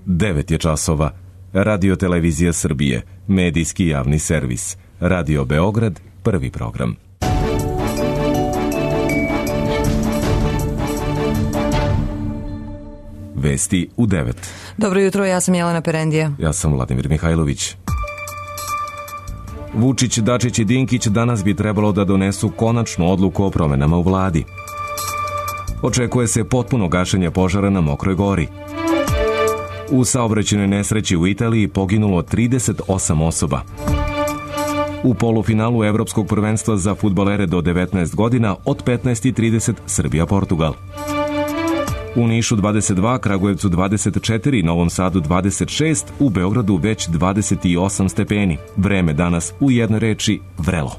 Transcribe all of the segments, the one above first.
9 je časova. Radio Televizija Srbije, medijski javni servis. Radio Beograd, prvi program. Vesti u 9. Dobro jutro, ja sam Jelena Perendija. Ja sam Vladimir Mihajlović. Vučić, Dačić i Dinkić danas bi trebalo da donesu konačnu odluku o promenama u vladi. Očekuje se potpuno gašenje požara na Mokroj Gori. U saobraćajnoj nesreći u Italiji poginulo 38 osoba. U polufinalu Evropskog prvenstva za fudbalere do 19 godina od 15:30 Srbija-Portugal. U Nišu 22, Kragujevcu 24, Novom Sadu 26, u Beogradu već 28 stepeni. Vreme danas u jednoj reči vrelo.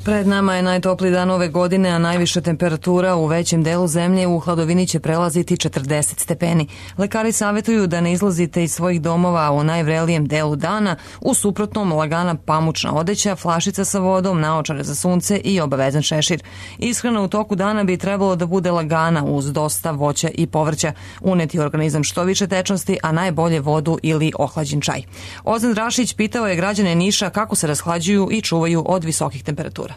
Pred nama je najtopliji dan ove godine, a najviša temperatura u većem delu zemlje u hladovini će prelaziti 40 stepeni. Lekari savjetuju da ne izlazite iz svojih domova u najvrelijem delu dana, u suprotnom lagana pamučna odeća, flašica sa vodom, naočare za sunce i obavezan šešir. Ishrana u toku dana bi trebalo da bude lagana uz dosta voća i povrća, uneti u organizam što više tečnosti, a najbolje vodu ili ohlađen čaj. Ozan Drašić pitao je građane Niša kako se rashlađuju i čuvaju od visokih temperatura.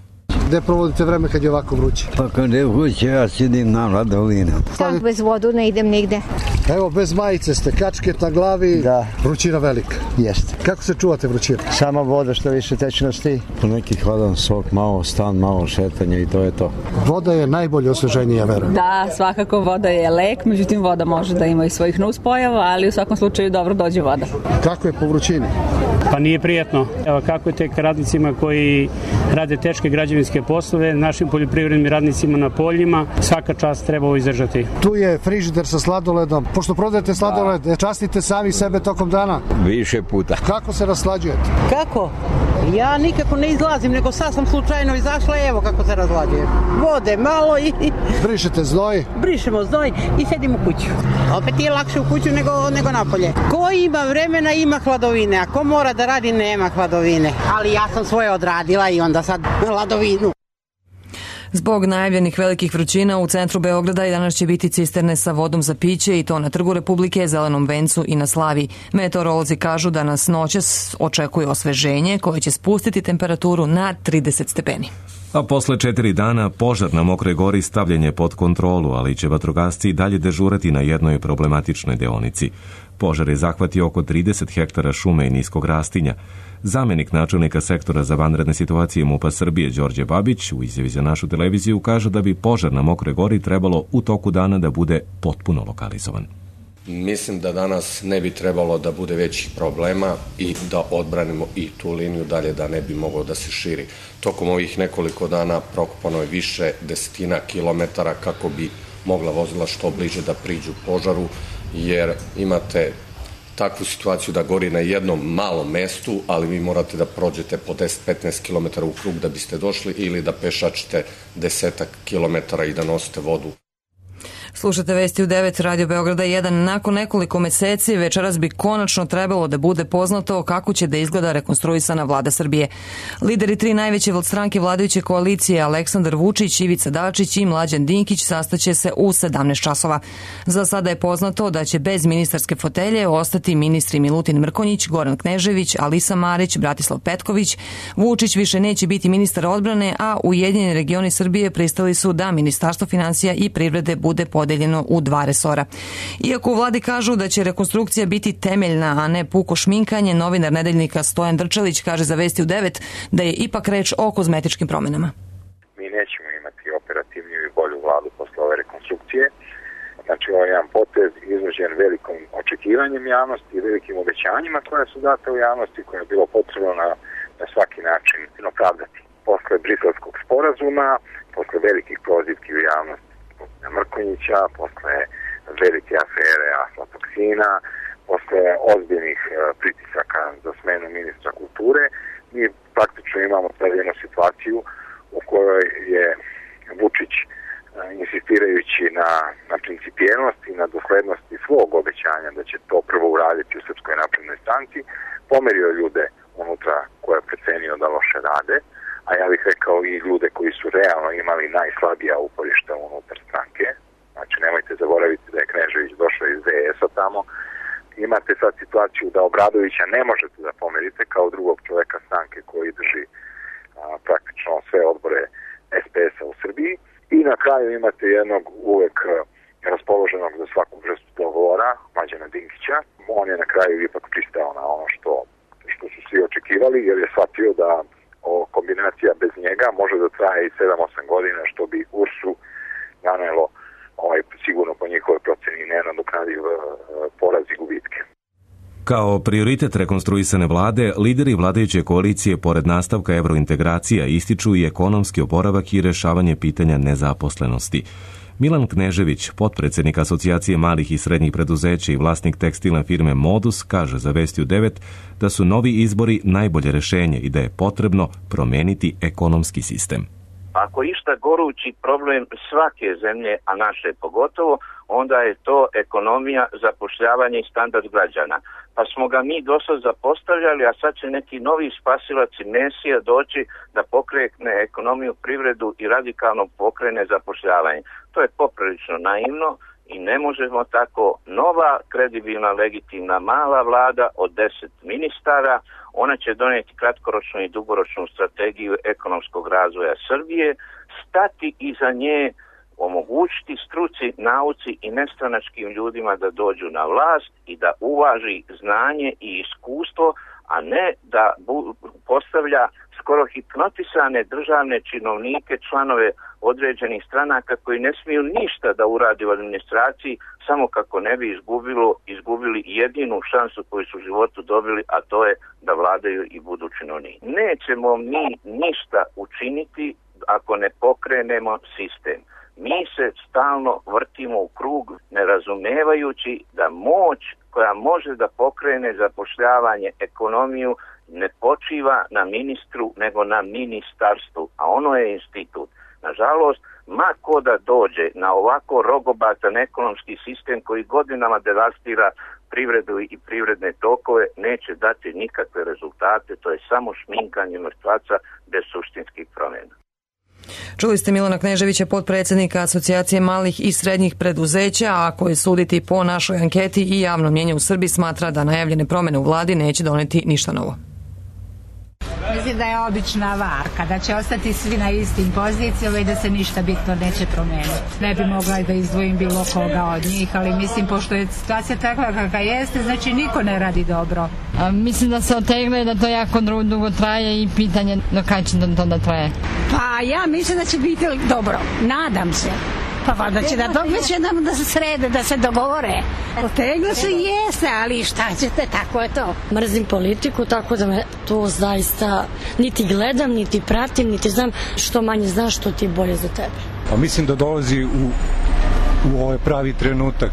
Gde provodite vreme kad je ovako vruće? Pa kad je vruće, ja sidim na ladovinu. Tako, bez vodu ne idem nigde. Evo, bez majice ste, kačket na glavi, da. Vrućina velika. Jeste. Kako se čuvate vrućine? Sama voda što više tečnosti. Neki hladan sok, malo stan, malo šetanje i to je to. Voda je najbolje osveženje, ja verujem. Da, svakako voda je lek, međutim voda može da ima i svojih nuspojava, ali u svakom slučaju dobro dođe voda. Kako je po vrućini? Pa nije prijetno. Evo, kako je tek radnicima koji rade teške građevinske poslove, našim poljoprivrednim radnicima na poljima, svaka čast treba ovo izdržati. Tu je frižider sa sladoledom. Pošto prodajete sladoled, častite sami sebe tokom dana? Više puta. Kako se raslađujete? Kako? Ja nikako ne izlazim, nego sad sam slučajno izašla i evo kako se razlađujem. Vode malo i... Brišete znoj? Brišemo znoj i sedimo u kuću. Opet je lakše u kuću nego napolje. Ko ima vremena ima hladovine, a ko mora da radi nema hladovine. Ali ja sam svoje odradila i onda sad hladovinu. Zbog najavljenih velikih vrućina u centru Beograda i danas će biti cisterne sa vodom za piće i to na Trgu Republike, Zelenom vencu i na Slaviji. Meteorolozi kažu da nas noćas očekuje osveženje koje će spustiti temperaturu na 30 stepeni. A posle 4 dana požar na Mokroj Gori stavljen je pod kontrolu, ali će vatrogasci i dalje dežurati na jednoj problematičnoj deonici. Požar je zahvatio oko 30 hektara šume i niskog rastinja. Zamenik načelnika sektora za vanredne situacije MUP-a Srbije Đorđe Babić u izjavi za našu televiziju kaže da bi požar na Mokroj Gori trebalo u toku dana da bude potpuno lokalizovan. Mislim da danas ne bi trebalo da bude većih problema i da odbranimo i tu liniju dalje da ne bi moglo da se širi. Tokom ovih nekoliko dana prokopano je više desetina kilometara kako bi mogla vozila što bliže da priđu požaru, jer imate takvu situaciju da gori na jednom malom mestu, ali vi morate da prođete po 10-15 km u krug da biste došli ili da pešačite 10 kilometara i da nosite vodu. Slušate vesti u 9 Radio Beograda 1. Nakon nekoliko meseci večeras bi konačno trebalo da bude poznato kako će da izgleda rekonstruisana vlada Srbije. Lideri 3 najveće stranke vladajuće koalicije Aleksandar Vučić, Ivica Dačić i Mlađan Dinkić sastaće se u 17 časova. Za sada je poznato da će bez ministarske fotelje ostati ministri Milutin Mrkonjić, Goran Knežević, Alisa Marić, Bratislav Petković. Vučić više neće biti ministar odbrane, a Ujedinjeni regioni Srbije pristali su da Ministarstvo finansija i privrede bude podeljeno u 2 resora. Iako u vladi kažu da će rekonstrukcija biti temeljna, a ne puko šminkanje, novinar Nedeljnika Stojan Drčelić kaže za vesti u 9 da je ipak reč o kozmetičkim promenama. Mi nećemo imati operativniju i bolju vladu posle ove rekonstrukcije. Znači, ovo je jedan potez izvođen velikom očekivanjem javnosti i velikim obećanjima koja su date u javnosti, koja je bilo potrebno na svaki način opravdati. Posle Briselskog sporazuma, posle velikih prozivki u javnosti Mrkonjića, posle velike afere aflatoksina, posle ozbiljnih pritisaka za smenu ministra kulture, mi praktično imamo jednu situaciju u kojoj je Vučić, insistirajući na principijelnost i na doslednosti svog obećanja da će to prvo uraditi u Srpskoj naprednoj stranci, pomerio ljude unutra koje je precenio da loše rade, a ja bih rekao i ljude koji su realno imali najslabija uporišta unutar stranke. Znači, nemojte zaboraviti situaciju da Obradovića ne možete da pomerite kao drugog čoveka stranke koji drži praktično sve odbore SPS-a u Srbiji. I na kraju imate jednog uvek raspoloženog za svaku vrstu dogovora, Mlađana Dinkića. On je na kraju ipak pristao na ono što su svi očekivali, jer je shvatio da kombinacija bez njega može da traje i 7-8 godina, što bi URS-u nanelo sigurno po njihovoj proceni nenadoknadiv poraz i gubitke. Kao prioritet rekonstruisane vlade, lideri vladajuće koalicije pored nastavka evrointegracija ističu i ekonomski oporavak i rešavanje pitanja nezaposlenosti. Milan Knežević, potpredsednik Asocijacije malih i srednjih preduzeća i vlasnik tekstilne firme Modus, kaže za Vesti u 9 da su novi izbori najbolje rešenje i da je potrebno promeniti ekonomski sistem. Ako išta gorući problem svake zemlje, a naše pogotovo, onda je to ekonomija, zapošljavanje i standard građana. Pa smo ga mi dosad zapostavljali, a sad će neki novi spasilac i mesija doći da pokrene ekonomiju, privredu i radikalno pokrene zapošljavanje. To je poprilično naivno i ne možemo tako. Nova, kredibilna, legitimna, mala vlada od 10 ministara, ona će donijeti kratkoročnu i dugoročnu strategiju ekonomskog razvoja Srbije, stati iza nje, omogućiti struci, nauci i nestranačkim ljudima da dođu na vlast i da uvaži znanje i iskustvo, a ne da postavlja skoro hipnotisane državne činovnike, članove određenih stranaka koji ne smiju ništa da uradi u administraciji samo kako ne bi izgubili jedinu šansu koju su u životu dobili, a to je da vladaju i budu činovnici. Nećemo mi ništa učiniti ako ne pokrenemo sistem. Mi se stalno vrtimo u krug, ne razumevajući da moć koja može da pokrene zapošljavanje, ekonomiju, ne počiva na ministru, nego na ministarstvu, a ono je institut. Nažalost, ma ko da dođe na ovako rogobatan ekonomski sistem koji godinama devastira privredu i privredne tokove, neće dati nikakve rezultate, to je samo šminkanje mrtvaca bez suštinskih promjena. Čuli ste Milana Kneževića, potpredsjednika Asocijacije malih i srednjih preduzeća, a koji suditi po našoj anketi i javno mnjenje u Srbiji smatra da najavljene promjene u vladi neće doneti ništa novo. Mislim da je obična varka, da će ostati svi na istim pozicijama i da se ništa bitno neće promijeniti. Ne bi mogla da izdvojim bilo koga od njih, ali mislim, pošto je situacija takva kakva jeste, znači niko ne radi dobro. Mislim da se otegne, da to jako dugo traje i pitanje do kada će to da traje. Pa ja mislim da će biti dobro, nadam se. Pa valjda će da će nam da se srede, da se dogovore. Oteglo se jeste, ali šta ćete, tako je to. Mrzim politiku, tako da me to zaista niti gledam, niti pratim, niti znam. Što manje znaš, što ti bolje za tebe. Pa mislim da dolazi u ovaj pravi trenutak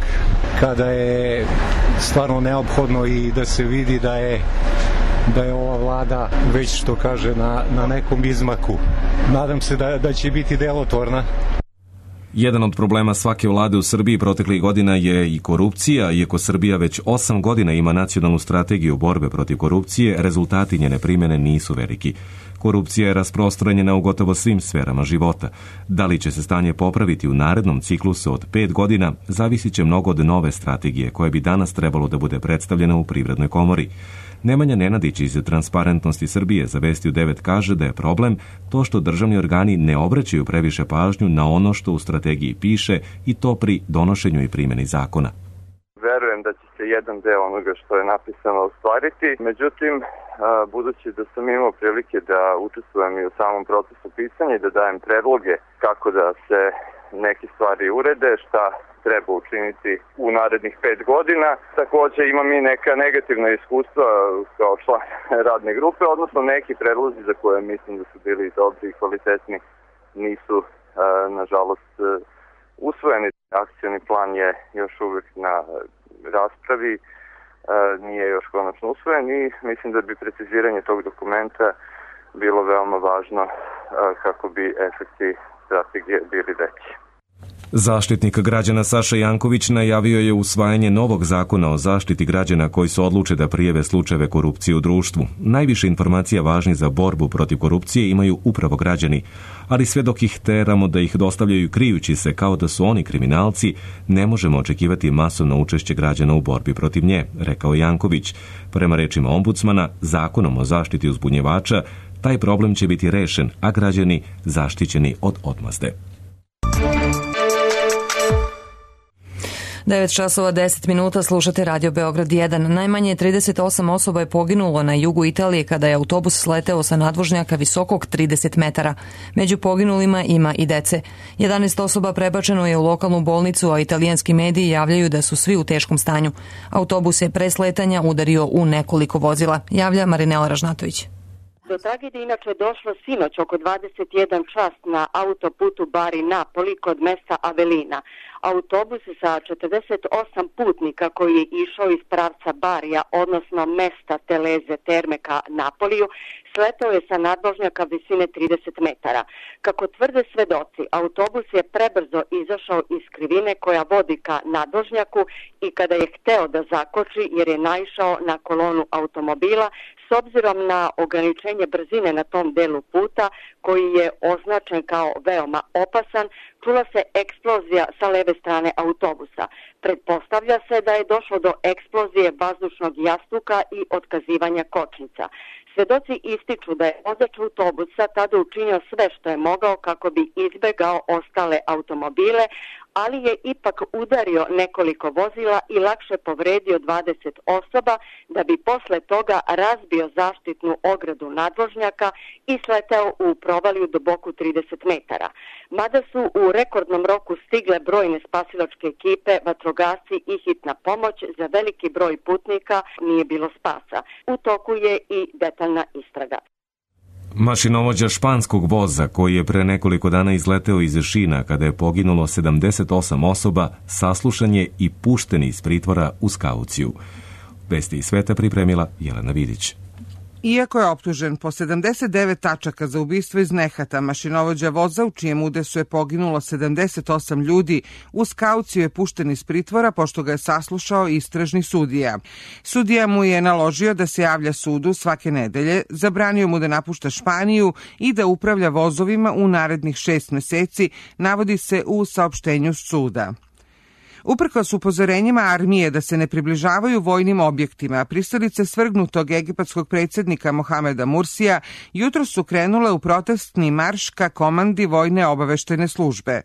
kada je stvarno neophodno i da se vidi da je ova vlada već, što kaže, na nekom izmaku. Nadam se da će biti delotvorna. Jedan od problema svake vlade u Srbiji proteklih godina je i korupcija. Iako Srbija već 8 godina ima nacionalnu strategiju borbe protiv korupcije, rezultati njene primjene nisu veliki. Korupcija je rasprostranjena u gotovo svim sferama života. Da li će se stanje popraviti u narednom ciklusu od 5 godina, zavisit će mnogo od nove strategije koje bi danas trebalo da bude predstavljena u Privrednoj komori. Nemanja Nenadić iz Transparentnosti Srbije za Vesti u 9 kaže da je problem to što državni organi ne obraćaju previše pažnju na ono što u strategiji piše i to pri donošenju i primjeni zakona. Verujem da će se jedan deo onoga što je napisano ostvariti, međutim, budući da sam imao prilike da učestvujem i u samom procesu pisanja i da dajem predloge kako da se neke stvari urede, šta treba učiniti u narednih 5 godina. Također imam i neka negativna iskustva kao član radne grupe, odnosno neki predlozi za koje mislim da su bili dobri i kvalitetni nisu, nažalost, usvojeni. Akcioni plan je još uvijek na raspravi, nije još konačno usvojen i mislim da bi preciziranje tog dokumenta bilo veoma važno kako bi efekti strategije bili veći. Zaštitnik građana Saša Janković najavio je usvajanje novog zakona o zaštiti građana koji se odluče da prijave slučajeve korupcije u društvu. Najviše informacija važnih za borbu protiv korupcije imaju upravo građani, ali sve dok ih teramo da ih dostavljaju krijući se kao da su oni kriminalci, ne možemo očekivati masovno učešće građana u borbi protiv nje, rekao Janković. Prema rečima ombudsmana, zakonom o zaštiti uzbunjivača, taj problem će biti rešen, a građani zaštićeni od odmazde. 9 časova 10 minuta, slušate Radio Beograd 1. Najmanje 38 osoba je poginulo na jugu Italije kada je autobus sleteo sa nadvožnjaka visokog 30 metara. Među poginulima ima i dece. 11 osoba prebačeno je u lokalnu bolnicu, a italijanski mediji javljaju da su svi u teškom stanju. Autobus je pre sletanja udario u nekoliko vozila, javlja Marinela Ražnatović. Do tragedije inače došlo sinoć oko 21 čas na autoputu Bari-Napoli kod mesta Avelina. Autobus sa 48 putnika koji je išao iz pravca Barija, odnosno mesta Teleze Terme ka Napoliju, sletao je sa nadvožnjaka visine 30 metara. Kako tvrde svedoci, autobus je prebrzo izašao iz krivine koja vodi ka nadvožnjaku i kada je hteo da zakoči jer je naišao na kolonu automobila, s obzirom na ograničenje brzine na tom delu puta koji je označen kao veoma opasan, čula se eksplozija sa leve strane autobusa. Pretpostavlja se da je došlo do eksplozije vazdušnog jastuka i otkazivanja kočnica. Svedoci ističu da je vozač autobusa tada učinio sve što je mogao kako bi izbegao ostale automobile, ali je ipak udario nekoliko vozila i lakše povredio 20 osoba da bi posle toga razbio zaštitnu ogradu nadvožnjaka i sleteo u provaliju duboku 30 metara. Mada su u rekordnom roku stigle brojne spasilačke ekipe, vatrogasci i hitna pomoć, za veliki broj putnika nije bilo spasa. U toku je i detaljna istraga. Mašinovođa španskog voza koji je pre nekoliko dana izleteo iz Šina kada je poginulo 78 osoba, saslušan je i pušten iz pritvora uz kauciju. Vesti iz sveta pripremila Jelena Vidić. Iako je optužen po 79 tačaka za ubistvo iz nehata, mašinovođa voza u čijem udesu je poginulo 78 ljudi, uz kauciju je pušten iz pritvora pošto ga je saslušao istražni sudija. Sudija mu je naložio da se javlja sudu svake nedelje, zabranio mu da napušta Španiju i da upravlja vozovima u narednih 6 meseci, navodi se u saopštenju suda. Uprkos upozorenjima armije da se ne približavaju vojnim objektima, pristalice svrgnutog egipatskog predsjednika Mohameda Mursija jutro su krenule u protestni marš ka komandi vojne obaveštajne službe.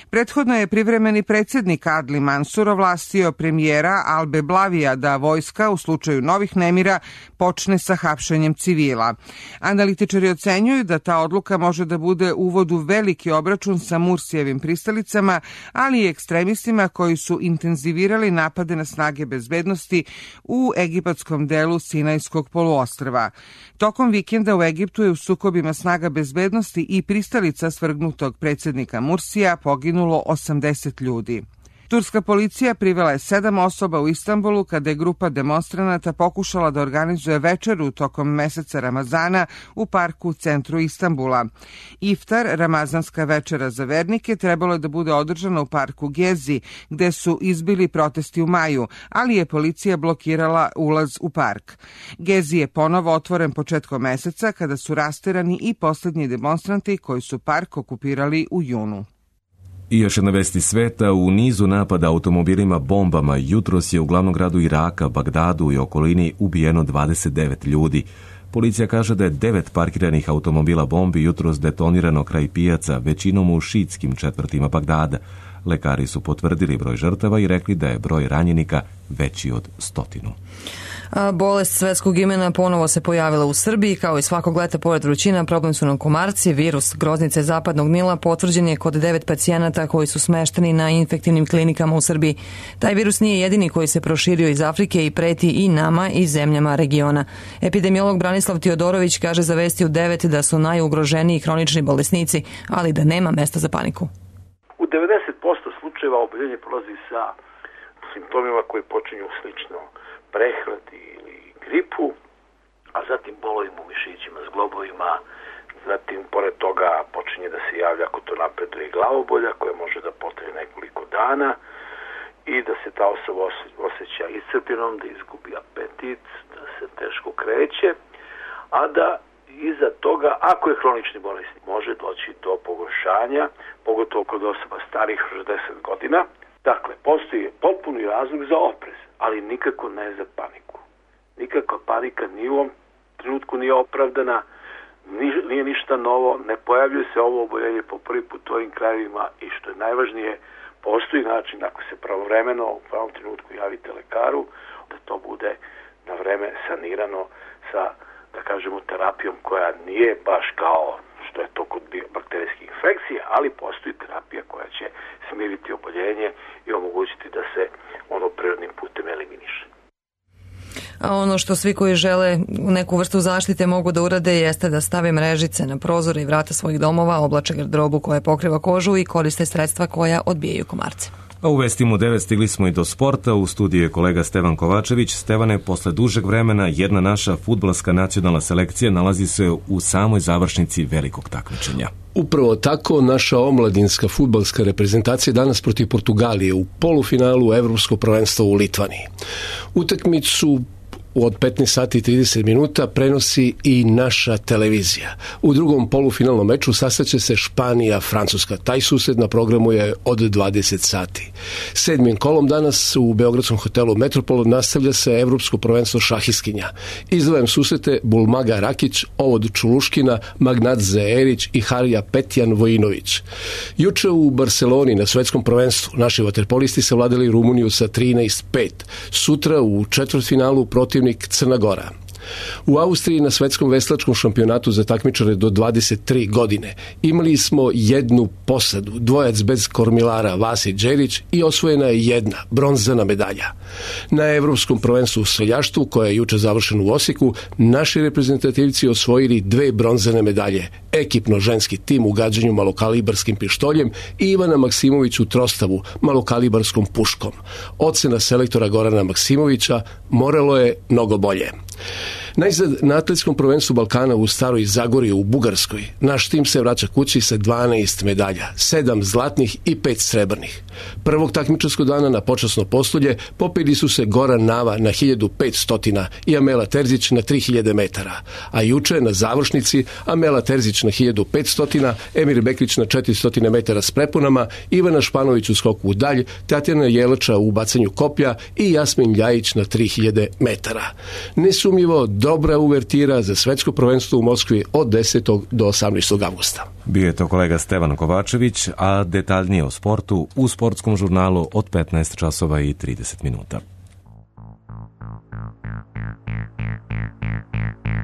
Prethodno je privremeni predsjednik Adli Mansur ovlastio premijera Albe Blavija da vojska u slučaju novih nemira počne sa hapšenjem civila. Analitičari ocenjuju da ta odluka može da bude uvod u veliki obračun sa Mursijevim pristalicama, ali i ekstremistima koji su intenzivirali napade na snage bezbednosti u egipatskom delu Sinajskog poluostrva. Tokom vikenda u Egiptu je u sukobima snaga bezbednosti i pristalica svrgnutog predsjednika Mursija poginulo 80 ljudi. Turska policija privela je 7 osoba u Istanbulu kada je grupa demonstranata pokušala da organizuje večeru tokom meseca Ramazana u parku u centru Istanbula. Iftar, ramazanska večera za vernike, trebalo je da bude održana u parku Gezi, gde su izbili protesti u maju, ali je policija blokirala ulaz u park. Gezi je ponovo otvoren početkom meseca kada su rasterani i poslednji demonstranti koji su park okupirali u junu. I još jedna vesti sveta, u nizu napada automobilima bombama jutros je u glavnom gradu Iraka, Bagdadu i okolini ubijeno 29 ljudi. Policija kaže da je 9 parkiranih automobila bombi jutros detonirano kraj pijaca, većinom u šiitskim četvrtima Bagdada. Lekari su potvrdili broj žrtava i rekli da je broj ranjenika veći od 100. Bolest svetskog imena ponovo se pojavila u Srbiji. Kao i svakog leta, pored vrućina, problem su nam komarci. Virus groznice zapadnog Nila potvrđen je kod 9 pacijenata koji su smešteni na infektivnim klinikama u Srbiji. Taj virus nije jedini koji se proširio iz Afrike i preti i nama i zemljama regiona. Epidemiolog Branislav Tiodorović kaže za Vesti u 9 da su najugroženiji hronični bolesnici, ali da nema mesta za paniku. U 90% slučajeva oboljenje prolazi sa simptomima koji počinju slično prehladi ili gripu, a zatim bolovima u mišićima, zglobovima, zatim pored toga počinje da se javlja ako to napreduje glavobolja koja može da potraje nekoliko hrana i da se ta osoba osjeća iscrpljenom, da izgubi apetit, da se teško kreće, a da iza toga, ako je hronični bolesnik, može doći do pogoršanja, pogotovo kod osoba starih 60 godina. Dakle, postoji potpuni razlog za oprez, ali nikako ne za paniku. Nikakva panika ni u ovom trenutku nije opravdana, nije ništa novo, ne pojavljuje se ovo oboljenje po prvi put u ovim krajevima i što je najvažnije, postoji način, ako se pravovremeno u pravom trenutku javite lekaru, da to bude na vreme sanirano sa, da kažemo, terapijom koja nije baš kao što je to kod bakterijskih infekcija, ali postoji terapija koja će smiriti oboljenje i omogućiti da se ono prirodnim putem eliminiše. A ono što svi koji žele neku vrstu zaštite mogu da urade jeste da stave mrežice na prozore i vrata svojih domova, oblače garderobu koja pokriva kožu i koriste sredstva koja odbijaju komarce. A u vestima u 9 stigli smo i do sporta. U studiju je kolega Stevan Kovačević. Stevane, posle dužeg vremena jedna naša fudbalska nacionalna selekcija nalazi se u samoj završnici velikog takmičenja. Upravo tako, naša omladinska fudbalska reprezentacija danas protiv Portugalije u polufinalu Evropskog prvenstva u Litvaniji. Utakmicu od 15 sati i 30 minuta prenosi i naša televizija. U drugom polufinalnom meču sastaće se Španija-Francuska. Taj susret na programu je od 20 sati. 7. kolom danas u beogradskom hotelu Metropol nastavlja se Evropsko prvenstvo šahiskinja. Izdvajam susrete Bulmaga Rakić, Ovod Čuluškina, Magnadze Erić i Harija Petjan Vojinović. Juče u Barceloni na svetskom prvenstvu naši vaterpolisti savladali Rumuniju sa 13-5. Sutra u četvrtfinalu protiv Crna Gora. U Austriji na svetskom veslačkom šampionatu za takmičare do 23 godine imali smo jednu posadu, dvojac bez kormilara Vasić Đerić i osvojena je jedna bronzana medalja. Na Evropskom prvenstvu u streljaštvu, koje je juče završeno u Osijeku, naši reprezentativci osvojili 2 bronzane medalje. Ekipno ženski tim u gađanju malokalibarskim pištoljem i Ivana Maksimović u trostavu malokalibarskom puškom. Ocena selektora Gorana Maksimovića: moralo je mnogo bolje. Najzad, na atletskom prvenstvu Balkana u Staroj Zagori u Bugarskoj naš tim se vraća kući sa 12 medalja, 7 zlatnih i 5 srebrnih. Prvog takmičarskog dana na počasno postolje popeli su se Goran Nava na 1500 i Amela Terzić na 3000 metara, a juče na završnici Amela Terzić na 1500, Emir Bekrić na 400 metara s prepunama, Ivana Španović u skoku u dalj, Tatjana Jelača u bacanju koplja i Jasmin Ljajić na 3000 metara. Nesumnjivo dobra uvertira za svetsko prvenstvo u Moskvi od 10. do 18. avgusta. Bio je to kolega Stevan Kovačević, a detaljnije o sportu u sportskom žurnalu od 15 časova i 30 minuta.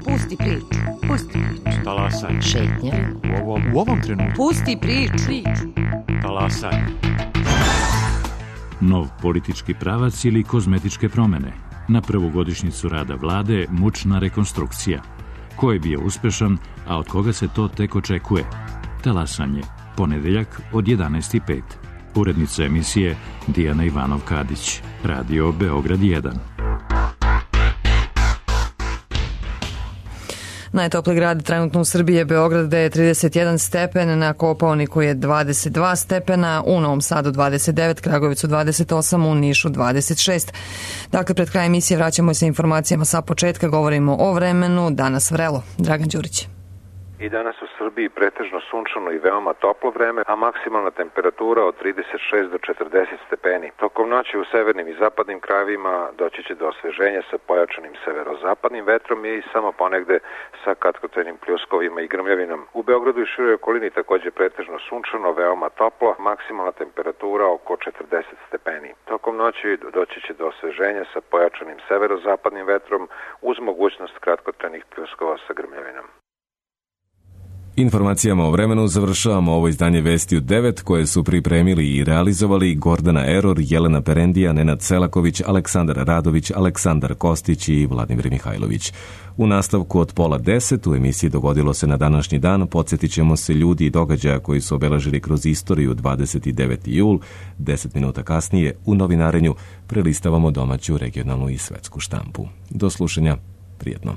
Pusti priču, pusti priču. Talasaj. Šetnja. U ovom trenutku. Pusti priču. Talasaj. Nov politički pravac ili kozmetičke promene. Na prvu godišnjicu rada vlade mučna rekonstrukcija. Ko je bio uspešan, a od koga se to tek očekuje? Talasanje. Ponedeljak od 11:05. Urednica emisije Dijana Ivanov-Kadić. Radio Beograd 1. Najtopli grad trenutno u Srbiji je Beograd, gde je 31 stepen, na Kopaoniku je 22 stepena, u Novom Sadu 29, Kragujevcu 28, u Nišu 26. Dakle, pred kraj emisije vraćamo se informacijama sa početka, govorimo o vremenu, danas vrelo. Dragan Đurić. I danas u Srbiji pretežno sunčano i veoma toplo vreme, a maksimalna temperatura od 36 do 40 stepeni. Tokom noći u severnim i zapadnim krajevima doći će do osveženja sa pojačanim severozapadnim vetrom i samo ponegde sa kratkotrajnim pljuskovima i grmljavinom. U Beogradu i široj okolini takođe pretežno sunčano, veoma toplo, maksimalna temperatura oko 40 stepeni. Tokom noći doći će do osveženja sa pojačanim severozapadnim vetrom uz mogućnost kratkotrajnih pljuskova sa grmljavinom. Informacijama o vremenu završavamo ovo izdanje Vesti u 9, koje su pripremili i realizovali Gordana Eror, Jelena Perendija, Nenad Selaković, Aleksandar Radović, Aleksandar Kostić i Vladimir Mihajlović. U nastavku od 9:30 u emisiji Dogodilo se na današnji dan podsjetit ćemo se ljudi i događaja koji su obeležili kroz istoriju 29. jul. 10 minuta kasnije u novinarenju prelistavamo domaću, regionalnu i svetsku štampu. Do slušanja, prijetno.